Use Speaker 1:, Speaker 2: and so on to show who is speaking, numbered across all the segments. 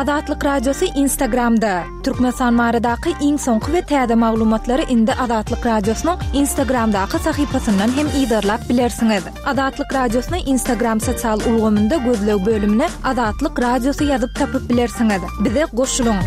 Speaker 1: Azatlyk Radiosy Instagramda! Türkmenistan baradaky iň soňky we täze maglumatlary indi Azatlyk Radiosynyň Instagramdaky sahypasyndan hem yzarlap bilersiňiz. Azatlyk Radiosyny Instagram sosial ulgamynda gözleg bölümine Azatlyk Radiosy ýazyp tapyp bilersiňiz. Bize goşulyň!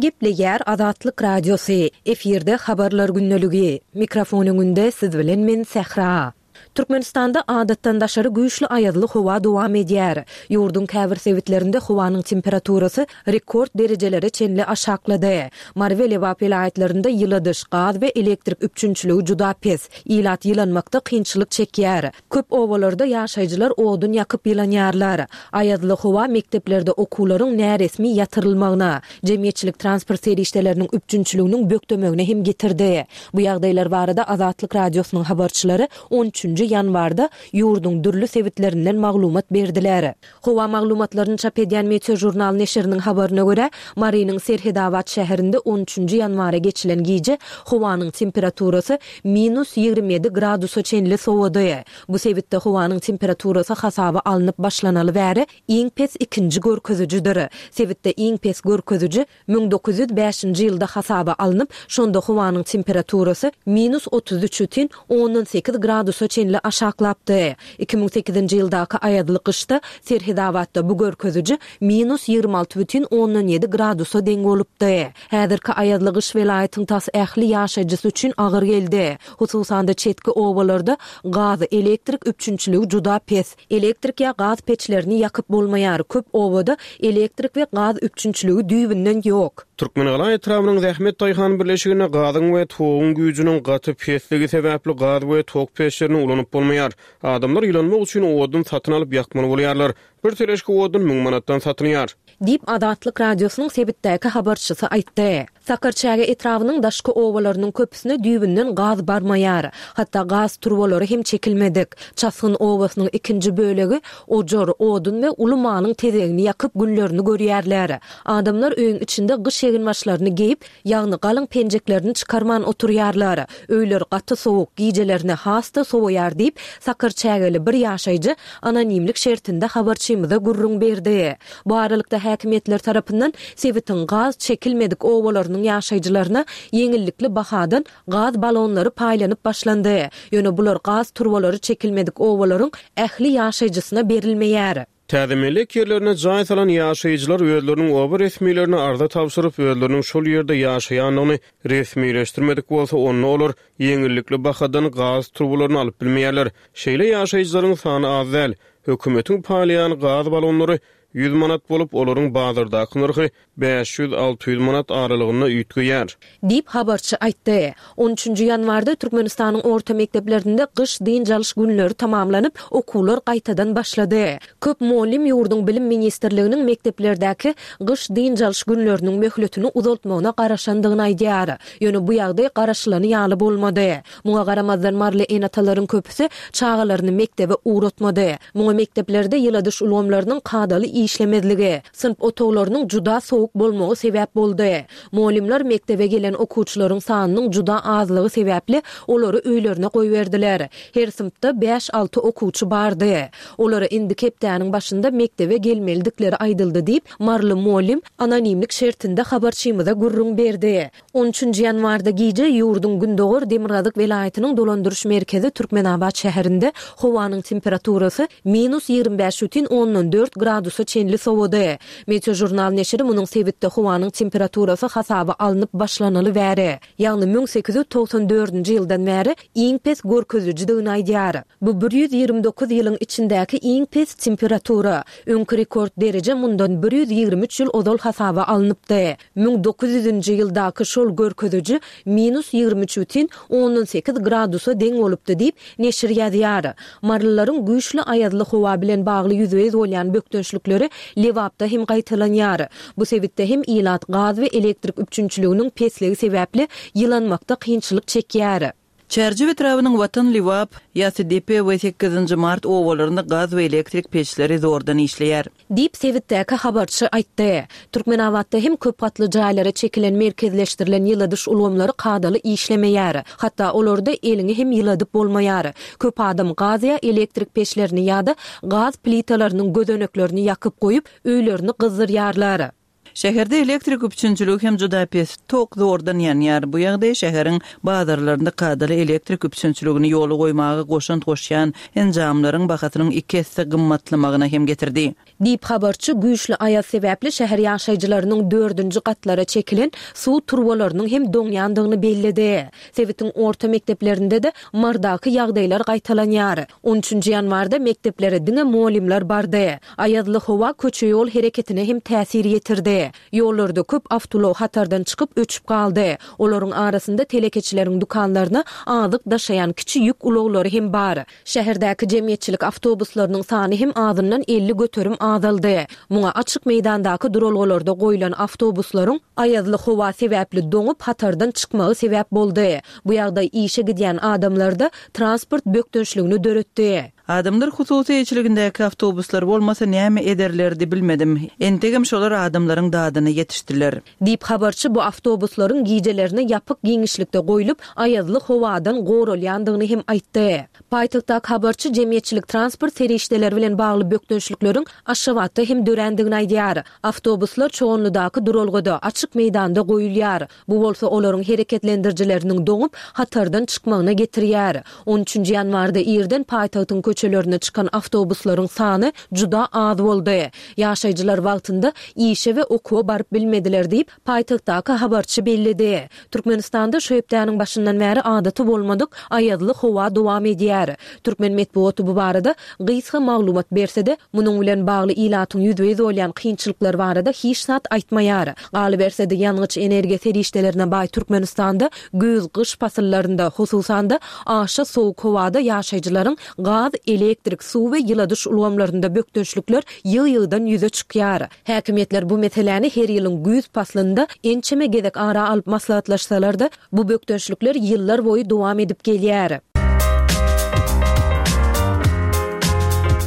Speaker 2: Gepleýär Azatlyk Radiosy, efirde Habarlar gündeligi. Mikrofon öňünde siz bilen men Sähra. Türkmenistanda adatdan daşary güýçli aýazly howa dowam edýär. Ýurduň käbir sebitlerinde howanyň temperaturasy rekord derejelere çenli aşaklady. Mary we Lebap welaýatlarynda ýyladyş, gaz we elektrik üpjünçiligi juda pes. Ilat ýylanmakda kynçylyk çekýär. Köp obalarda ýaşaýjylar odun ýakyp ýylanýarlar. Aýazly howa mekdeplerde okuwlaryň näresmi ýatyrylmagyna, jemgyýetçilik transport serişdeleriniň üpjünçiliginiň bökdemegine hem getirdi. Bu ýagdaýlar barada Azatlyk Radiosynyň habarçylary on üçünji ýanwarda ýurduň dürli sebitlerinden maglumat berdiler. Howa maglumatlaryny çap edýän Meteožurnal neşiriniň habaryna görä, Marynyň Serhedabat şäherinde on üçünji ýanwara geçilen gije howanyň temperaturasy minus 27 gradusa çenli sowady. Bu sebitde howanyň temperaturasy hasaba alnyp başlanaly bäri iň pes ikinji görkezijidir. Sebitde iň pes görkeziji 1905-nji ýylda hasaba alnyp, şonda howanyň temperaturasy minus 33 bütin ondan sekiz gradusa çenli aşaklapdy. 2008-nji ýyldaky aýazly gyşda Serhedabatda bu görkeziji minus 26 bütin ondan ýedi gradusa deň bolupdy. Häzirki aýazly gyş welaýatyň tas ähli ýaşaýjysy üçin agyr geldi. Hususan-da, çetki obalarda gaz, elektrik üpjünçiligi juda pes. Elektrik ýa gaz peçlerini ýakyp bolmaýar, köp obada elektrik we gaz üpjünçiligi düýbünden ýok.
Speaker 3: Türkmengala etrabynyň Zähmet daýhan birleşiginde gazyň we toguň güýjüniň gaty pesligi sebäpli gaz we tok peçlerini ulanyp bolmaýar. Adamlar ýylanmak üçin odun satyn alyp ýakmaly bolýarlar. Bir teležka odun müň manatdan satylýar.
Speaker 2: Diýip, Azatlyk Radiosynyň sebitdäki habarçysy aýtdy. Sakarçäge etrabynyň daşky obalarynyň köpüsine düýbünden gaz barmaýar. Hatda gaz turbalary hem çekilmedik. Çasgyn obasynyň ikinji bölegi ojar, odun we uly malyň tezegini ýakyp günlerini görýärler. Adamlar öýüň içinde gyş eginbaşlaryny geýip, Ýagny galyň penjeklerini çykarman oturýarlar. Öýler gaty sowuk, gijelerine has-da sowaýar diýip, sakarçägeli bir ýaşaýjy anonimlik şertinde habarçymyza gürrüň berdi. Bu aralykda, häkimiýetler tarapyndan sebitiň gaz çekilmedik obalarynyň ýaşaýjylaryna ýeňillikli bahadan gaz balonlary paýlanyp başlandy. Ýöne bular gaz turbalary çekilmedik obalaryň ähli ýaşaýjysyna berilmeýär.
Speaker 3: Täze mellek ýerlerine jaý salan ýaşaýjylar özleriniň oba resmilerine arza tabşyryp, özleriniň şol ýerde ýaşaýandygyny resmileşdirmedik bolsa, onda olar ýeňillikli bahadan gaz turbalaryny alyp bilmeýärler. Şeýle ýaşaýjylaryň sany az däl. Hökümetiň paýlaýan gaz balonlary 100 manat bolup, olaryň bazardaky nyrhy 500-600 manat aralygynda üýtgeýär.
Speaker 2: Diýip, habarçy aýtdy. On üçünji ýanwarda Türkmenistanyň orta mekdeplerinde gyş dynç alyş günleri tamamlanyp, okuwlar gaýtadan başlady. Köp mugallym ýurduň Bilim ministrliginiň mekdeplerdäki gyş dynç alyş günleriniň möhletini uzaltmagyna garaşandygyny aýdýar. Ýöne bu ýagdaý garaşylany ýaly bolmady. Muňa garamazdan maryly ene-atalaryň köpüsi çagalaryny mekdebe ugratmady. Muňa mekdeplerde ýyladyş ulgamlarynyň kadaly işlemezligi, synp otaglarynyň juda sowuk bolmagy sebäp boldy. Mugallymlar mekdebe gelen okuwçylaryň sanynyň juda azlygy sebäpli olary öýlerine goýberdiler. Her synpda bäş-alty okuwçy bardy. Olara indiki hepdäniň başynda mekdebe gelmelidikleri aýdyldy diýip, maryly mugallym anonimlik şertinde habarçymyza gürrüň berdi. On üçünji ýanwarda gije ýurduň gündogar-demirgazyk welaýatynyň dolandyryş merkezi Türkmenabat şäherinde howanyň temperaturasy minus 25 bütin ondan dört gradusa çenli sowady. Meteožurnal neşiri munuň sebitde howanyň temperaturasy hasaba alnyp başlanaly bäri, ýagny 1894-nji ýyldan bäri iň pes görkezijidigini aýdýar. Bu 129 ýylyň içindäki iň pes temperatura. Öňki rekord dereje mundan 123 ýyl ozal hasaba alnypdy. 1900-nji ýyldaky şol görkeziji minus 23 bütin ondan sekiz gradusa deň bolupdy diýip, neşir ýazýar. Marylylaryň güýçli aýazly howa bilen bagly ýüzbe-ýüz bolýan bökdençlikleri Lebapda hem gaýtalanýar. Bu sebitde hem ilat gaz we elektrik üpjünçiliginiň pesligi sebäpli ýylanmakda kynçylyk çekýär.
Speaker 4: Çärjew etrabynyň Watan, Lebap, Ýasydepe we Sekizinji mart obalarynda gaz we elektrik peçleri zordan işleýär.
Speaker 2: Diýip, sebitdäki habarçy aýtdy. Türkmenabatda hem köp gatly jaýlara çekilen merkezleşdirilen ýyladyş ulgamlary kadaly işlemeýär. Hatda olarda eliňi hem ýyladyp bolmaýar. Köp adam gaz ýa elektrik peçlerini ýa-da gaz plitalarynyň gözeneklerini ýakyp goýup, öýlerini gyzdyrýarlar.
Speaker 4: Şäherde elektrik üpjünçiligi hem juda pes, tok zordan ýanýar. Bu ýagdaý şäheriň bazarlarynda kadaly elektrik üpjünçiligini ýola goýmaga goşant goşýan enjamlaryň bahasynyň iki esse gymmatlamagyna hem getirdi.
Speaker 2: Diýip, habarçy güýçli aýaz sebäpli şäher ýaşaýjylarynyň dördünji gatlara çekilen suw turbalarynyň hem doňýandygyny belledi. Sebitiň orta mekdeplerinde-de Mardaky ýagdaýlar gaýtalanýar. On üçünji ýanwarda mekdeplere diňe mugallymlar bardy. Aýazly howa köçe-ýol hereketine hem täsir ýetirdi. Ýollarda köp awtoulag hatardan çykyp öçüp galdy. Olaryň arasynda telekeçileriň dükanlaryna azyk daşaýan kiçi ýük ulaglary hem bar. Şäherdäki jemgyýetçilik awtobuslarynyň sany hem azyndan 50% azaldy. Muňa açyk meýdandaky duralgalarda goýlan awtobuslaryň aýazly howa sebäpli doňup hatardan çykmagy sebäp boldy. Bu ýagdaý işe gidýän adamlarda transport bökdençligini döretdi.
Speaker 4: Adamlar hususy eýeçiligindäki awtobuslar bolmasa näme ederlerdi bilmedim. Entegem şolar adamlaryň dadyna ýetişdiler.
Speaker 2: Diýip, habarçy bu awtobuslaryň gijelerine ýapyk giňişlikde goýlup, aýazly howadan goralýandygyny hem aýtdy. Paýtagtdaky habarçy jemgyýetçilik transport serişdeleri bilen bagly bökdençlikleriň Aşgabatda hem dörändigini aýdýar. Awtobuslar Çoganlydaky duralgada, açyk meýdanda goýulýar. Bu bolsa olaryň hereketlendirijileriniň doňup, hatardan çykmagyna getirýär. On üçünji ýanwarda irden paýtagtyň köçelerine çykan awtobuslaryň sany juda az boldy. Ýaşaýjylar wagtynda işe we okuwa baryp bilmediler diýip, paýtagtdaky habarçy belledi. Türkmenistanda şu hepdäniň başyndan bäri adaty bolmadyk aýazly howa dowam edýär. Türkmen metbugaty bu barada gysga maglumat berse-de, munuň bilen bagly ilatyň ýüzbe-ýüz bolýan kynçylyklary barada hiç zat aýtmaýar. Galyberse-de, ýangyç-energiýa serişdelerine baý Türkmenistanda güýz-gyş pasyllarynda, hususan-da, aşa sowuk howada ýaşaýjylaryň gaz, elektrik, suw we ýyladyş ulgamlarynda bökdençlikler ýygy-ýygydan ýüze çykýar. Häkimiýetler bu meseläni her ýylyň güýz paslynda ençeme gezek ara alyp maslahatlaşsalar-da, Bu bökdençlikler ýyllar boýy dowam edip gelýär.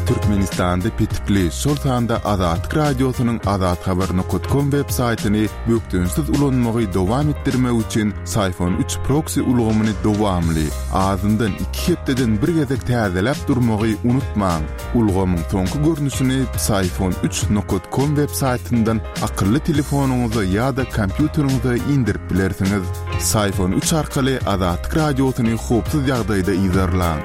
Speaker 5: Türkmenistanda petikli, şol sanda Azatlyk Radiosynyň azathabar nokat kom web saýtyny bökdençsiz ulanmagy dowam etdirmek üçin Syfon üç proksi ulgamyny dowamly, azyndan iki hepdeden bir gezek täzeläp durmagy unutmaň. Ulgamyň soňky görnüşini Psiphon üç nokat kom web saýtyndan akylly telefonyňyza ýa-da kompýuteriňize indirip bilersiňiz. Psiphon üç arkaly Azatlyk Radiosyny howpsuz ýagdaýda yzarlaň.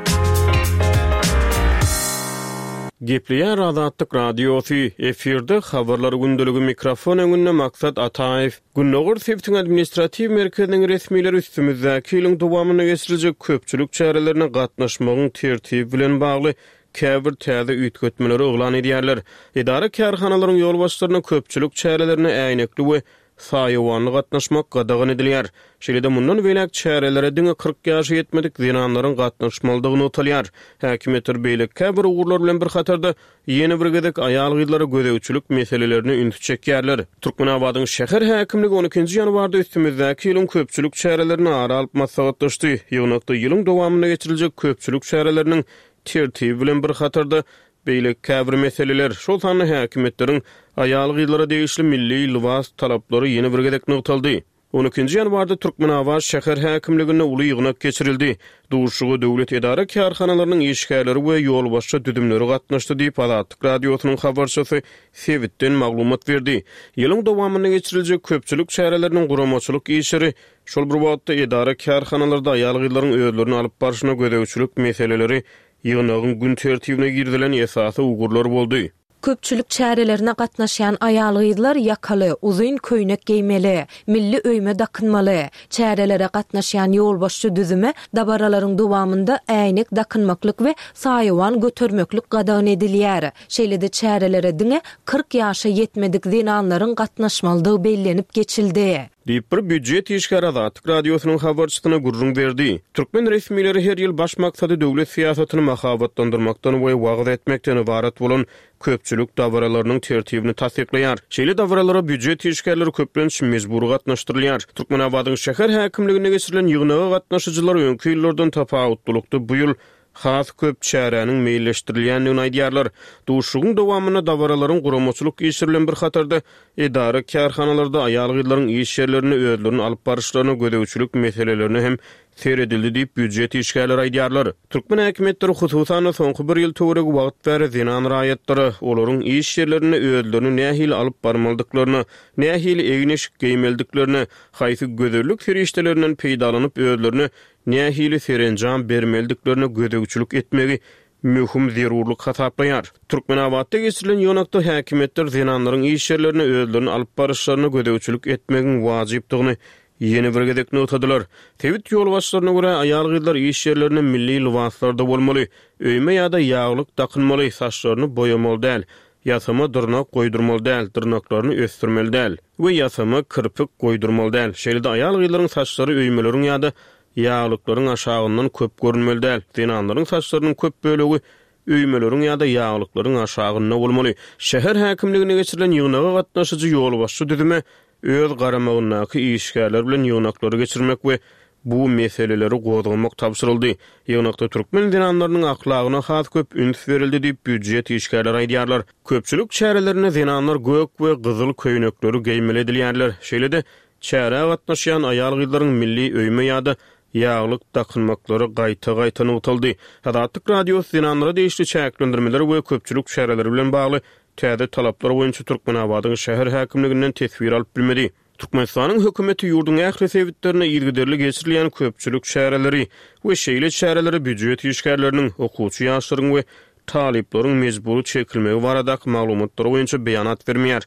Speaker 3: Gepleýär Azatlyk Radiosy, efirde Habarlar gündeligi mikrofon öňünde Maksat Ataýew. Gündogar sebitiň administratiw merkeziniň resmileri üstümizdäki ýylyň dowamynda geçiriljek köpçülik çärelerine gatnaşmagyň tertibi bilen bagly käbir täze üýtgetmeleri yglan edýärler. Edara-kärhanalaryň ýolbaşçylaryna köpçülik çärelerine äýnekli we saýawanly gatnaşmak gadagan edilýär. Şeýle-de mundan beýläk çärelere diňe 40 ýaşa ýetmedik zenanlaryň gatnaşmalydygy nygtalýar. Häkimiýetler beýleki käbir ugurlar bilen bir hatarda, ýene bir gezek aýal-gyzlara gözegçilik meselelerine ünsi çekýärler. Türkmenabadyň şäher häkimligi on ikinji ýanwarda üstümizdäki ýylyň köpçülik çärelerini ara alyp maslahatlaşdy. Ýygnakda ýylyň dowamynda geçiriljek köpçülik çäreleriniň tertibi bilen bir hatarda, beýleki käbir meseleler, şol sanda häkimiýetleriň aýal-gyzlara degişli milli lybas talaplary ýene bir gezek nygtaldy. On ikinji ýanwarda Türkmenabat şäher häkimliginde uly ýygnak geçirildi. Duşuşyga döwlet edara-kärhanalarynyň işgärleri we ýolbaşçy düzümleri gatnaşdy diýip, Azatlyk Radiosynyň habarçysy sebitden maglumat berdi. Ýylyň dowamynda geçiriljek köpçülik çäreleriniň guramaçylyk işleri, şol bir wagtda, edara-kärhanalarda aýal-gyzlaryň özlerini alyp barşyna gözegçilik meseleleri ýygnagyň gün tertibine girizilen esasy ugurlar boldy.
Speaker 2: Köpçülik çärelerine gatnaşýan aýal-gyzlar ýakaly, uzyn köýnek geýmeli, milli öýme dakynmaly. Çärelere gatnaşýan ýolbaşçy düzüme dabaralaryň dowamynda äýnek dakynmaklyk we saýawan götermeklik gadagan edilýär. Şeýle-de çärelere diňe 40 ýaşa ýetmedik zenanlaryň gatnaşmalydygy bellenip geçildi.
Speaker 3: Diýip, bir býujet işgäri Azatlyk Radiosynyň habarçysyna gürrüň berdi. Türkmen resmileri her ýyl baş maksady döwlet syýasatyny mahabatlandyrmakdan we wagyz etmekden ybarat bolan köpçülik dabaralarynyň tertibini tassyklaýar. Şeýle dabaralara býujet işgärleri köplenç mejbury gatnaşdyrylýar. Türkmenabadyň şäher häkimliginde geçirilen ýygnaga gatnaşyjylar öňki ýyllardan tapawutlylykda bu ýyl has köp çäräniň meýilleşdirilýändigini aýdýarlar. Duşuşygyň dowamynda dabaralaryň guramaçylyk işleri bilen bir hatarda, edara-kärhanalarda aýal-gyzlaryň iş ýerlerinde özlerini alyp baryşlaryna gözegçilik meselelerine hem seredildi diýip, býujet işgärleri aýdýarlar. Türkmen häkimiýetleri, hususan-da, soňky bir ýyl töweregi wagt bäri zenan raýatlara, olaryň iş ýerlerinde özlerini nähili alyp barmalydyklaryna, nähili egin-eşik geýmelidiklerine, haýsy gözellik serişdelerinden peýdalanyp özlerine nähili serenjam bermelidiklerine gözegçilik etmegi möhüm zerurlyk hasaplaýar. Türkmenabatda geçirilen ýygnakda häkimiýetler zenanlaryň iş ýerlerinde özlerini alyp baryşlaryna gözegçilik etmegiň wajypdygyny ýene bir gezek nygtadylar. Sebit ýolbaşçylaryna görä, aýal-gyzlar iş ýerlerinde milli lybaslarda bolmaly, öýme ýa-da ýaglyk dakynmaly, saçlaryny boýamaly däl, ýasama dyrnak goýdurmaly däl, dyrnaklaryny ösdürmeli däl we ýasama kirpik goýdurmaly däl. Şeýle-de aýal-gyzlaryň saçlary öýmeleriň ýa-da ýaglyklaryň aşagyndan köp görünmeli däl. Zenanlaryň saçlarynyň köp bölegi öýmeleriň ýa-da ýaglyklaryň aşagynda bolmaly. Şäher häkimliginde geçirilen ýygnaga gatnaşyjy ýolbaşçy düzüme öz garamagyndaky işgärler bilen ýygnaklary geçirmek we bu meseleleri gozgamak tabşyryldy. Ýygnakda türkmen zenanlarynyň ahlagyna has köp üns berildi diýip, býujet işgärleri aýdýarlar. Köpçülik çärelerinde zenanlar gök we gyzyl köýnekleri geýmeli edilýärler. Şeýle-de, çärä gatnaşýan aýal-gyzlaryň milli öýme ýa-da ýaglyk dakynmaklary gaýta-gaýta nygtaldy. Azatlyk Radiosy zenanlara degişli çäklendirmeler we köpçülik çäreleri bilen bagly täze talaplar boýunça Türkmenabadyň şäher häkimliginden teswir alyp bilmedi. Türkmenistanyň hökümeti ýurduň ähli sebitlerinde yzygiderli geçirilýän köpçülik çäreleri we şeýle çärelere býujet işgärleriniň, okuwçy ýaşlaryň we talyplaryň mejbury çekilmegi baradaky maglumatlar boýunça beýanat bermeýär.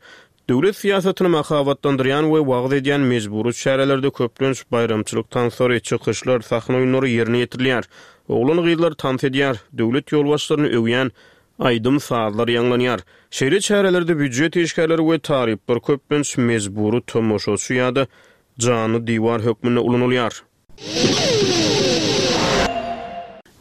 Speaker 3: Döwlet syýasatyny mahabatlandyrýan we wagyz edýän mejbury çärelerde köplenç baýramçylyk tanslary, çykyşlar, sahna oýunlary ýerine ýetirilýär. Oglan-gyzlar tans edýär, döwlet ýolbaşçylaryny öwýän aýdym-sazlar ýaňlanýar. Şeýle çärelerde býujet işgärleri we talyplar köplenç mejbury tomaşaçy ýa-da janly diwar hökmünde ulanylýar.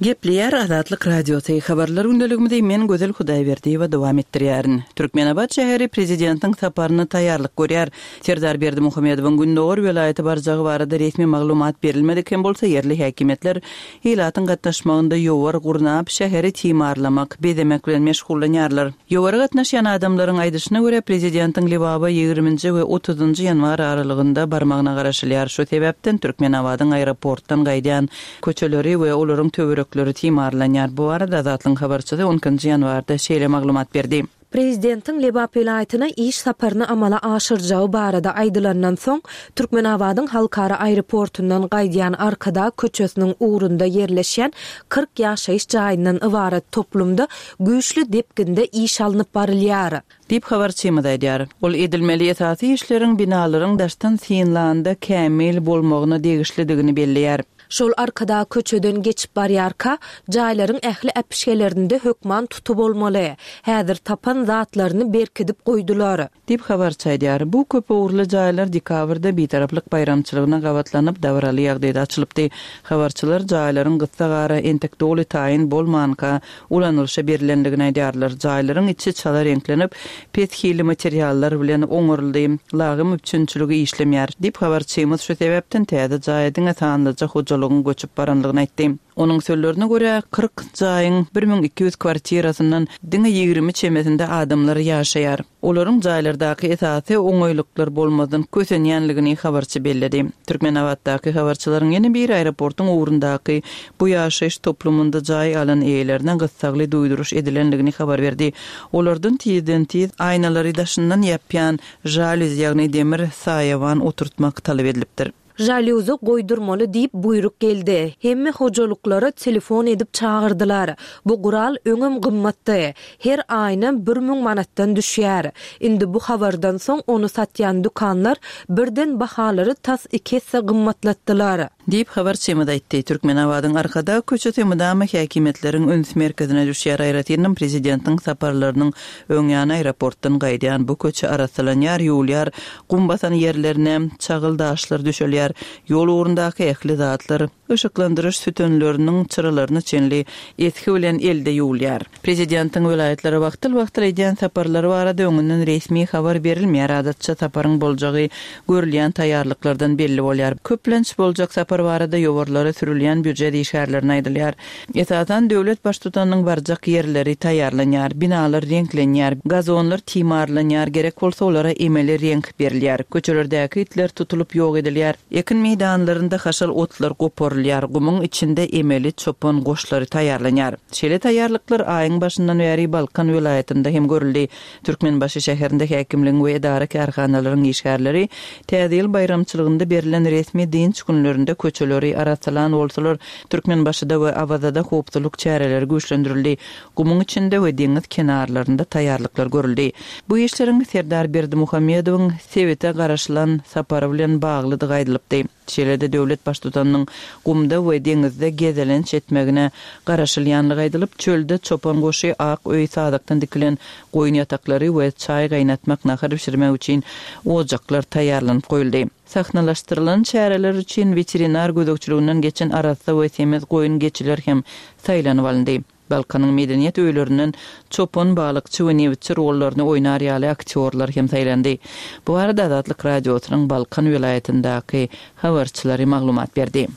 Speaker 4: Gepleýär Azatlyk Radiosy, Habarlar gündeligimizi men Gözel Hudaýberdiýewa dowam etdirýärin. Türkmenabat şäheri prezidentiň saparyna taýýarlyk görýär. Serdar Berdimuhamedowyň gündogar welaýata barjagy barada resmi maglumat berilmedik hem bolsa, ýerli häkimiýetler Ilatyň gatnaşmagynda ýowar gurnap, şäheri timarlamak, bezemek bilen meşgullanýarlar. Ýowara gatnaşýan adamlaryň aýdyşyna görä, prezidentiň Lebaba ýigriminji we otuzynjy ýanwar aralygynda barmagyna garaşylýar. Şu sebäpden Türkmenabadyň aeroportdan gaýdýan köçeleri we olaryň töwerekleri timarlanýar. Bu barada Azatlygyň habarçysy on ikinji ýanwarda şeýle maglumat berdi.
Speaker 2: Prezidentiň Lebap welaýatyna iş saparyny amala aşyrjagy barada aýdylandan soň, Türkmenabadyň halkara aeroportundan gaýdýan Arkadag köçesiniň ugrunda ýerleşýän 40 ýaşaýyş jaýyndan ybarat toplumda güýçli depginde iş alnyp barylýar.
Speaker 4: Diýip, habarçymyz aýdýar. Ol edilmeli esasy işleriň binalaryň daşdan synlanda kämil bolmagyna degişlidigini belleýär.
Speaker 2: Şol Arkadag köçeden geçip barýarka, jaýlaryň ähli äpişgelerinde hökman tuty bolmaly. Häzir tapan zatlaryny berkidip goýdular.
Speaker 4: Diýip, habarçy aýdýar. Bu köp ugurly jaýlar dekabrda Bitaraplyk baýramçylygyna gabatlanyp, dabaraly ýagdaýda açylypdy. Habarçylar jaýlaryň gyssagara, entek doly taýyn bolmanka, ulanylyşa berlendigini aýdýarlar. Jaýlaryň içi çala reňklenip, pes hilli materiallar bilen oňaryldy. Lagym üpjünçiligi işlemeýär, diýip, habarçymyz şu sebäpden täze jaýa diňe sanlyja hojalygyň göçüp barandygyny aýtdy. Onuň sözlerine görä, 40 jaýyň 1200 kwartirasyndan diňe 20 çemesinde adamlar ýaşaýar. Olaryň jaýlardaky esasy oňaýlyklar bolmazdan kösenýänligini habarçy belledi. Türkmenabatdaky habarçylaryň ýene biri aeroportuň ugrundaky bu ýaşaýyş toplumynda jaý alan eýelerine gyssagly duýduryş edilendigini habar berdi. Olardan tizden-tiz aýnalary daşyndan ýapýan žalýuz, ýagny demir saýawan oturtmak talap edilipdir.
Speaker 2: Žalýuzy goýdurmaly diýip buýruk geldi. Hemme hojalyklara telefon edip çagyrdylar. Bu gural öňem gymmatdy. Her aýynam 1000 manatdan düşýär. Indi bu habardan soň ony satýan dükanlar birden bahalary tas iki esse gymmatlatdylar.
Speaker 4: Diýip, habarçymyz aýtdy. Türkmenabadyň Arkadag köçesi mydama häkimiýetleriň üns merkezine düşýär, aýratynam prezidentiň saparlarynyň öň ýany aeroportdan gaýdýan bu köçe arassalanýar, ýuwulýar, gum basan ýerlerine çagyl daşlar düşelýär, ýol ugrundaky ähli zatlar, yşyklandyryş sütünleriniň çyralaryna çenli esgi bilen elde ýuwulýar. Prezidentiň welaýatlara wagtal-wagtal edýän saparlary barada öňünden resmi habar berilmeýär, adatça saparyň boljagy görülýän taýýarlyklardan belli bolýar. Köplenç boljak sapar barada ýowarlara sürülýän býujet işgärlerine aýdylýar. Esasan, döwlet baştutanynyň barjak ýerleri taýýarlanýar, binalar reňklenýär, gazonlar timarlanýar, gerek bolsa olara emeli reňk berilýär, köçelerdäki itler tutulyp ýok edilýär, ekin meýdanlarynda haşal otlar goparylýar, gumuň içinde emeli çopan goşlary taýýarlanýar. Şeýle taýýarlyklar aýyň başyndan bäri Balkan welaýatynda hem görüldi. Türkmenbaşy şäherinde häkimligiň we edara-kärhanalaryň işgärleri Täze ýyl baýramçylygynda berlen resmi dynç günlerinde köçeleri arassalan bolsalar, Türkmenbaşyda we Awazada howpsuzlyk çäreleri güýçlendirildi, gumuň içinde we deňiz kenarlarynda taýýarlyklar görüldi. Bu işleriň Serdar Berdimuhamedowyň sebite garaşylan sapary bilen baglydygy aýdylypdy. Şeýle-de döwlet Baştutanynyň gumda we deňizde gezelenç etmegine garaşylýanlygy aýdylyp, çölde çopan goşy, ak öý, sazakdan dikilen goýun ýataklary we çaý gaýnatmak, nahar bişirmek üçin ojaklar taýýarlanyp goýuldy. Sahnalaşdyrylan çäreler üçin weterinar gözegçiliginden geçen arassa we semiz goýun-geçiler hem saýlanyp alyndy. Balkanyň medeniýet öýlerinden çopan, balykçy we nebitçi rollaryny oýnar ýaly aktýorlar hem saýlandy. Bu barada Azatlyk Radiosynyň Balkan welaýatyndaky habarçylary maglumat berdi.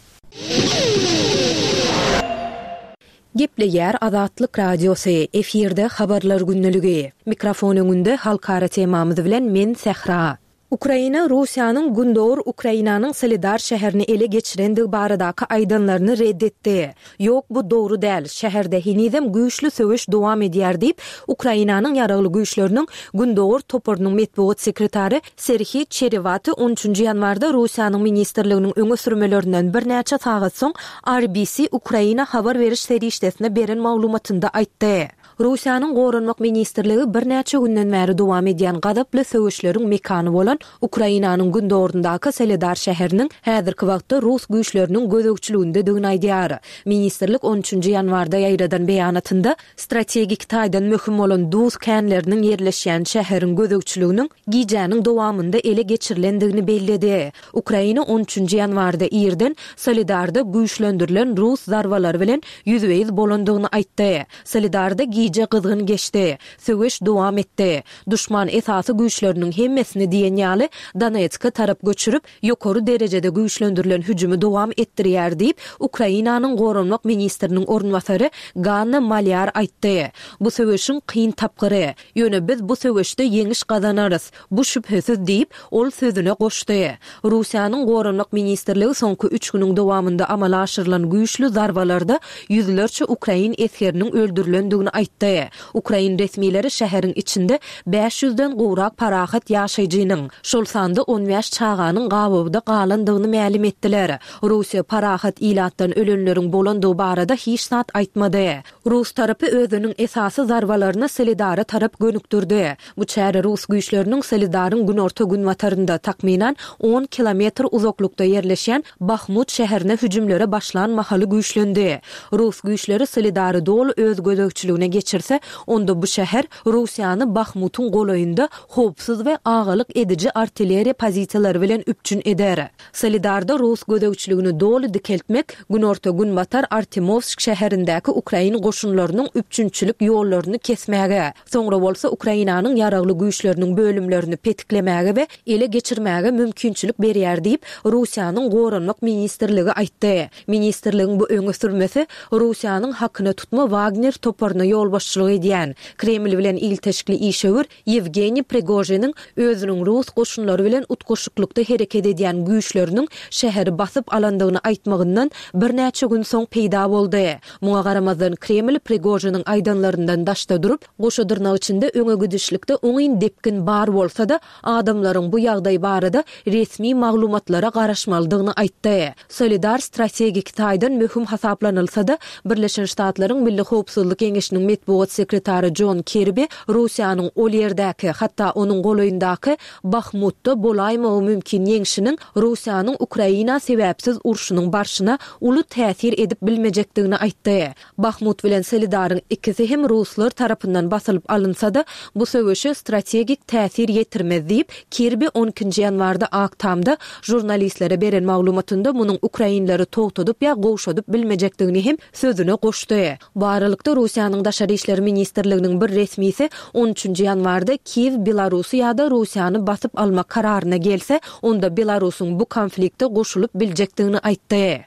Speaker 2: Gepleýär Azatlyk Radiosy, efirde Habarlar gündeligi. Mikrofon öňünde halkara temamyz bilen men Sähra. Ukraina Russiýanyň gündogar Ukrainanyň Soledar şäherini ele geçirendigi baradaky aýdanlaryny red etdi. Ýok, bu dogry däl, şäherde henizem güýçli söweş dowam edýär diýip, Ukrainanyň Ýaragly Güýçleriniň Gündogar toparynyň metbugat sekretary Serhiý Çerewaty on üçünji ýanwarda Russiýanyň ministrliginiň öňe sürmelerinden birnäçe sagat soň RBC Ukraina habar beriş serişdesine beren maglumatynda aýtdy. Russiýanyň Goranmak ministrligi birnäçe günden bäri dowam edýän gazaply söweşleriň mekany bolan Ukrainanyň gündogaryndaky Soledar şäheriniň häzirki wagtda rus güýçleriniň gözegçiligindedigini aýdýar. Ministrlik on üçünji ýanwarda ýaýradan beýanatynda strategik taýdan möhüm bolan duz känleriniň ýerleşýän şäheriň gözegçiliginiň gijäniň dowamynda ele geçirilendigini belledi. Ukraina on üçünji ýanwarda irden Soledarda güýçlendirilen rus zarbalary bilen ýüzbe-ýüz bolandygyny aýtdy. Soledarda gije gyzgyn geçdi. Söweş dowam etdi. Duşman esasy güýçleriniň hemmesini diýen ýaly Donetske tarap göçürip, ýokary derejede güýçlendirilen hüjümi dowam etdirýär diýip, Ukrainanyň goranmak ministriniň orunbasary Ganna Malýar aýtdy. Bu söweşiň kyn tapgyry. Ýöne biz bu söweşde ýeňiş gazanarys. Bu şübhesiz diýip, ol sözüne goşdy. Russiýanyň Goranmak ministrligi soňky üç günüň dowamynda amala aşyrylan güýçli zarbalarda ýüzlerçe ukrain esgeriniň öldürilendigini aýtdy. Ukrain resmileri şäheriň içinde bäş ýüzden gowrak parahat ýaşaýjynyň, şol sanda on bäş çaganyň gabawda galandygyny mälim etdiler. Russiýa parahat ilatdan ölenleriň bolandygy barada hiç zat aýtmady. Rus tarapy özüniň esasy zarbalaryny Soledara tarap gönükdirdi. Bu çäre rus güýçleriniň Soledaryň günorta-günbatarynda, takmynan, on kilometr uzaklykda ýerleşýän Bahmut şäherine hüjümlere başlan mahaly güýçlendi. Rus güýçleri Soledary doly öz gözegçiligine geçirse, onda bu şäher Russiýany Bahmutyň golaýynda howpsuz we agalyk ediji artilleriýa pozisiýalary bilen üpjün eder. Soledarda rus gözegçiligini doly dikeltmek günorta-günbatar Artemowsk şäherindäki ukrain goşunlarynyň üpjünçilik ýollaryny kesmäge, soňra bolsa Ukrainanyň ýaragly güýçleriniň bölümlerini petiklemäge we ele geçirmäge mümkinçilik berýär diýip, Russiýanyň Goranmak ministrligi aýtdy. Ministrligiň bu öňe sürmesi Russiýanyň hakyna tutma Wagner toparyna ýolbaşçylyk edýän, Kreml bilen ilteşikli işewür Ýewgeniý Prigožiniň özüniň rus. goşunlary bilen utgaşyklykda hereket edýän güýçleriniň şäheri basyp alandygyny aýtmagyndan birnäçe gün soň peýda boldy. Muňa garamazdan, Kreml Prigožiniň aýdanlaryndan daşda durup, goşa dyrnak içinde öňe gidişlikde oňyn depgin bar bolsa-da, adamlaryň bu ýagdaý barada resmi maglumatlara garaşmalydygyny aýtdy. Solidar strategik taýdan möhüm hasaplanylsa-da, Birleşen Ştatlaryň Milli howpsuzlyk geňeşiniň metbugat sekretary Jon Kirbi Russiýanyň ol ýerdäki, hatda onuň golaýyndaky Bahmutda bolaýmagy mümkin ýeňşiniň Russiýanyň Ukraina sebäpsiz urşunyň barşyna uly täsir edip bilmejekdigini aýtdy. Bahmut bilen Soledaryň ikisi hem ruslar tarapyndan basylyp alynsa-da, bu söweşe strategik täsir ýetirmez diýip, Kirbi on ikinji ýanwarda Ak Tamda žurnalistlere beren maglumatynda munuň ukrainleri togtadyp ýa gowşadyp bilmejekdigini hem sözüne goşdy. Bu aralykda, Russiýanyň Daşary işler ministrliginiň bir resmisi on üçünji ýanwarda Kiýew Belarusy ýa-da Russiýany basyp almak kararyna gelse, onda Belarusyň bu konflikte goşulyp biljekdigini aýtdy.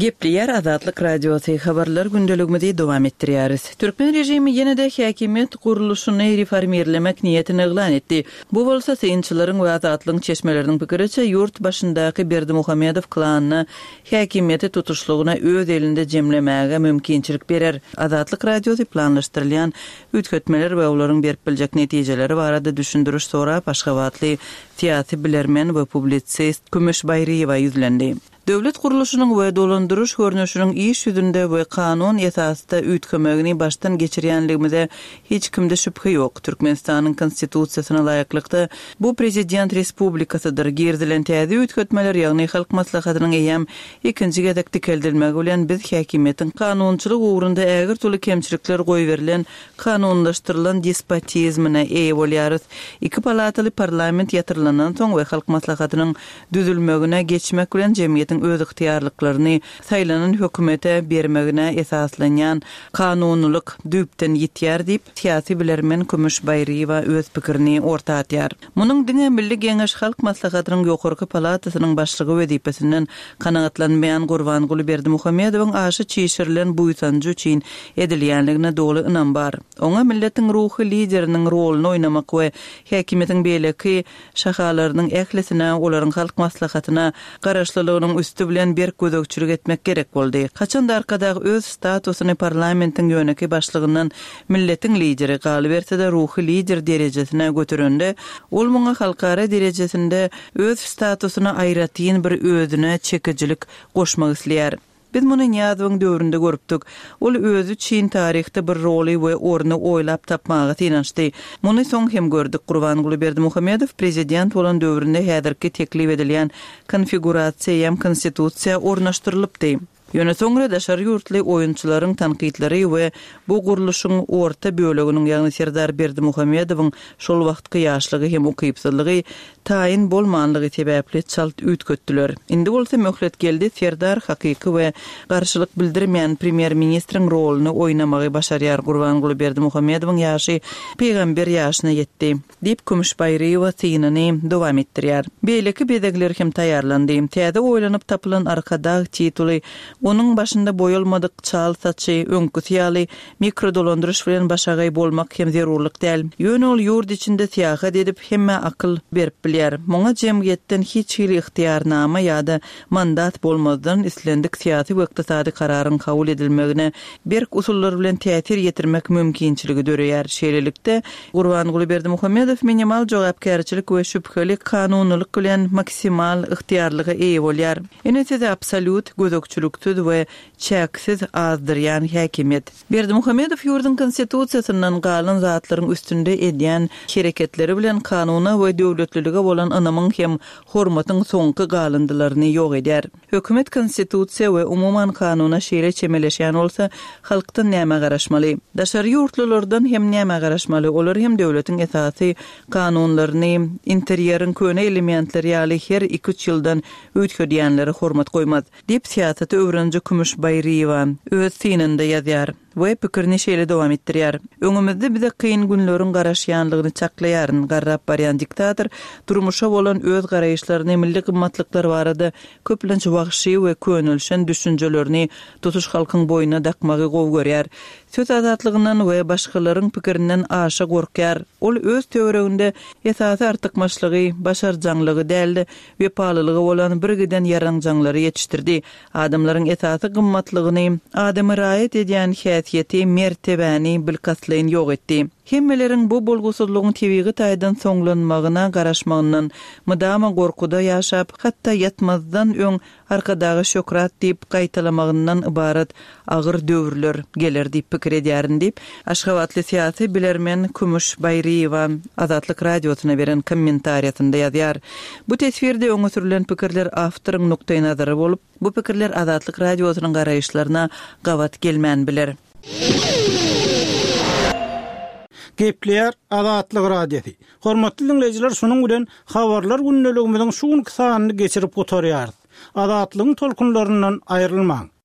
Speaker 4: Gepleýär Azatlyk Radiosy, Habarlar gündeligimizi dowam etdirýäris. Türkmen režimi ýene-de häkimiýet gurluşyny reformirlemek niýetini yglan etdi. Bu bolsa, synçylaryň we Azatlygyň çeşmeleriniň pikiriçe, ýurt başyndaky Berdimuhamedow klanyna häkimiýeti tutuşlygyna öz elinde jemlemäge mümkinçilik berer. Azatlyk Radiosy planlaşdyrylýan üýtgetmeler we olaryň berip biljek netijeleri barada düşündiriş sorap, aşgabatly syýasy bilermen we publisist Kümüş Baýryýewa ýüzlendi. Döwlet gurluşynyň we dolandyryş görnüşiniň iş ýüzünde we kanun esasda üýtgemegini başdan geçirýänligimize hiç kimde şübhe ýok. Türkmenistanyň Konstitusiýasyna laýyklykda, bu prezident respublikasydyr. Girizilen täze üýtgetmeler, ýagny Halk Maslahatynyň eýýäm ikinji gezek dikeldilmegi bilen biz häkimiýetiň kanunçylyk ugrunda ägirt uly kemçilikler goýberilen kanunlaşdyrylan despotizmine eýe bolýarys. Iki palataly parlament ýatyrylandan soň we Halk Maslahatynyň düzülmegine geçmek bilen jemgyýetiň özygtyýarlyklaryny saýlanan hökümete bermegine esaslanýan kanunylyk düýpden ýitýär diýip, syýasy bilermen Kümüş Baýryýewa öz pikirini orta atýar. Munuň diňe Milli Geňeş Halk Maslahatynyň ýokarky palatasynyň başlygy wezipesinden kanagatlanmaýan Gurbanguly Berdimuhamedowyň aşa çişirilen buýsanjy üçin edilýänligine doly ynam bar. Oňa milletiň ruhy lideriniň roluny oýnamak we häkimiýetiň beýleki şahalarynyň ählisine, olaryň Halk Maslahatyna garaşlylygynyň üsti bilen berk gözegçilik etmek gerek boldy. Haçan-da Arkadag öz statusyny parlamentiň ýönekeý başlygyndan milletiň lideri, galyberse-de ruhy lider derejesine göterende, ol muňa halkara derejesinde öz statusyna aýratyn bir özüne çekijilik goşmak isleýär. Biz muny Nyýazowyň döwründe görüpdik. Ol özi üçin taryhda bir roly we orny oýlap tapmaga synanyşdy. Muny soň hem gördük. Gurbanguly Berdimuhamedow prezident bolan döwründe häzirki teklip edilýän konfigurasiýa eýýäm Konstitusiýa ornaşdyrylypdy. Ýöne soňra daşary ýurtly oýunçylaryň tankytlary we bu gurluşyň orta böleginiň, ýagny Serdar Berdimuhamedowyň şol wagtky ýaşlygy hem ukypsyzlygy taýyn bolmanlygy sebäpli çalt üýtgetdiler. Indi bolsa möhlet geldi, Serdar hakyky we garşylyk bildirmeýän premýer-ministriň roluny oýnamagy başarýar, Gurbanguly Berdimuhamedowyň ýaşy pygamber ýaşyna ýetdi. Diýip, Kümüş Baýryýewa synyny dowam etdirýär. Beýleki bezegler hem taýýarlandy. Täze oýlanyp tapylan Arkadag tituly, onuň başynda boýalmadyk çal saçy, öňküsi ýaly mikrodolandyryş bilen başagaý bolmak hem zerurlyk däl. Ýöne ol ýurt içinde syýahat edip, hemmä akyl berip bilýär. Muňa jemgyýetden hiç hili ygtyýarnama ýa-da mandat bolmazdan, islendik syýasy we ykdysady kararyň kabul edilmegine berk usullar bilen täsir ýetirmek mümkinçiligi döreýär. Şeýlelikde, Gurbanguly Berdimuhamedow minimal jogapkärçilik we şübheli kanunylyk bilen maksimal ygtyýarlyga eýe bolýar. Ine size absolýut, gözegçiliksiz we çäksiz azdyrýan häkimiýet. Berdimuhamedow ýurduň Konstitusiýasyndan galan zatlaryň üstünde edýän hereketleri bilen kanuna we döwletlilige bolan ynamyň hem hormatyň soňky galyndylaryny ýok edýär. Hökümet Konstitusiýa we umuman kanuna şeýle çemeleşýän bolsa, halkdan nämä garaşmaly? Daşary ýurtlulardan hem nämä garaşmaly? Olar hem döwletiň esasy kanunlaryny interýeriň köne elementleri ýaly her iki-üç ýyldan üýtgedýänlere hormat goýmaz. Diýip, syýasaty öwreniji Kümüş Baýryýewa öz synynda ýazýar we pikirini şeýle dowam etdirýär, Öňümizde bize kyn günleriň garaşýanlygyny çaklaýaryn. Garrap barýan diktator durmuşa bolan öz garaýyşlaryny, milli gymmatlyklar barada köplenç wagşy we könelişen düşünjelerini tutuş halkyň boýnuna dakmagy gowy görýär. Söz azatlygyndan we başgalaryň pikirinden aşa gorkýar. Ol öz töwereginde esasy artykmaçlygy, başarjaňlygy däl-de, wepalylygy bolan birgiden ýaranjaňlary ýetişdirdi. Adamlaryň esasy gymmatlygyny, adamy raýat edýän häsiýeti, mertebäni bilkastlaýyn ýok etdi. Hemmeleriň bu bolgusyzlygyň tebigy taýdan soňlanmagyna garaşmagyndan, mydama gorkuda ýaşap, hatda ýatmazdan öň Arkadaga şöhrat diýip gaýtalamagyndan ybarat agyr döwürler geler diýip pikir edýärin diýip, aşgabatly syýasy bilermen Kümüş Baýryýewa Azatlyk Radiosyna beren kommentariýasynda ýazýar. Bu teswirde öňe sürlen pikirler awtoryň nukdaýnazary bolup, bu pikirler Azatlyk Radiosynyň garaýyşlaryna gabat gelmän biler.
Speaker 6: Gepleýär Azatlyk Radiosy. Hormatly diňleýjiler şunuň bilen Habarlar gündeligimiziň şu günki sanyny geçirip gutarýarys. Azatlygyň tolkunlaryndan aýrylmaň.